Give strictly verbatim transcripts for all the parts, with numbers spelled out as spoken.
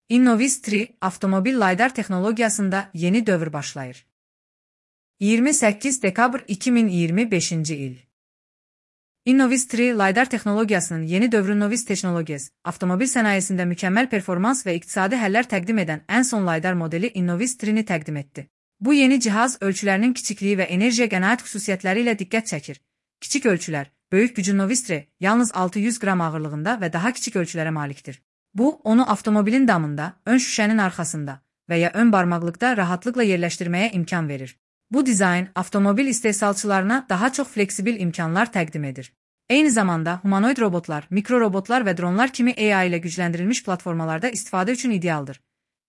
Innovis üç avtomobil laydar texnologiyasında yeni dövr başlayır. iyirmi səkkiz dekabr iki min iyirmi beşinci il. Innovis üç laydar texnologiyasının yeni dövrü Innovis Technologies, avtomobil sənayesində mükəmməl performans və iqtisadi həllər təqdim edən ən son laydar modeli Innovis üç-ni təqdim etdi. Bu yeni cihaz ölçülərinin kiçikliyi və enerjiyə qənaət xüsusiyyətləri ilə diqqət çəkir. Kiçik ölçülər, böyük gücü Innovis üç yalnız altı yüz qram ağırlığında və daha kiçik ölçülərə malikdir. Bu, onu avtomobilin damında, ön şüşənin arxasında və ya ön barmaqlıqda rahatlıqla yerləşdirməyə imkan verir. Bu dizayn, avtomobil istehsalçılarına daha çox fleksibil imkanlar təqdim edir. Eyni zamanda, humanoid robotlar, mikrorobotlar və dronlar kimi A I ilə gücləndirilmiş platformalarda istifadə üçün idealdır.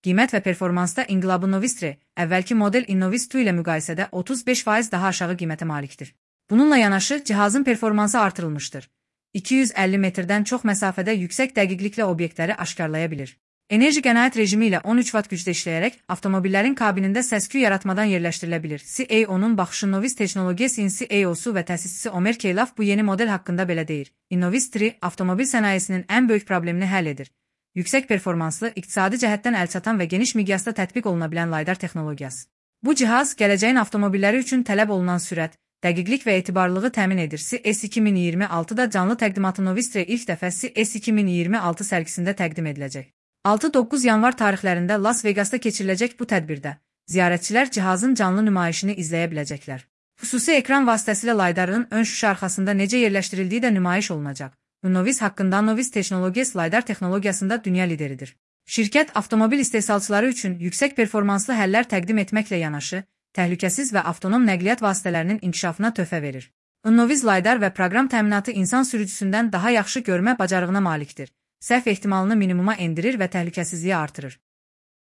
Qiymət və performansda inqilabı Innovis üç, əvvəlki model Innovis iki ilə müqayisədə otuz beş faiz daha aşağı qiymətə malikdir. Bununla yanaşı, cihazın performansı artırılmışdır. iki yüz əlli metrdən çox məsafədə yüksək dəqiqliklə obyektləri aşkarlaya bilir. Enerji qənaət rejimi ilə on üç vat gücdə işləyərək, avtomobillərin kabinində səs-küy yaratmadan yerləşdirilə bilir. C E O-nun baxışı Innovis Technologies-in C E O-su və təsisçisi Ömer Keylaf bu yeni model haqqında belə deyir. Innovis üç avtomobil sənayesinin ən böyük problemini həll edir. Yüksək performanslı, iqtisadi cəhətdən əlçatan və geniş miqyasda tətbiq oluna bilən laydar texnologiyası. Bu cihaz, gələcəyin avtomobilləri üçün tələb olunan sürət, dəqiqlik və etibarlılığı təmin edir. C E S iki min iyirmi altıda canlı təqdimatı Innovis üç ilk dəfə C E S iki min iyirmi altı sərgisində təqdim ediləcək. altı doqquz yanvar tarixlərində Las Vegasda keçiriləcək bu tədbirdə, ziyarətçilər cihazın canlı nümayişini izləyə biləcəklər. Xüsusi ekran vasitəsilə laydarın ön şüşə arxasında necə yerləşdirildiyi də nümayiş olunacaq. Innovis haqqında Innovis Technologies laydar texnologiyasında dünya lideridir. Şirkət, avtomobil istehsalçıları üçün yüksək performanslı həllər təqdim etməklə yanaşı, təhlükəsiz və avtonom nəqliyyat vasitələrinin inkişafına töhfə verir. Innovis laydar və proqram təminatı insan sürücüsündən daha yaxşı görmə bacarığına malikdir. Səhv ehtimalını minimuma endirir və təhlükəsizliyi artırır.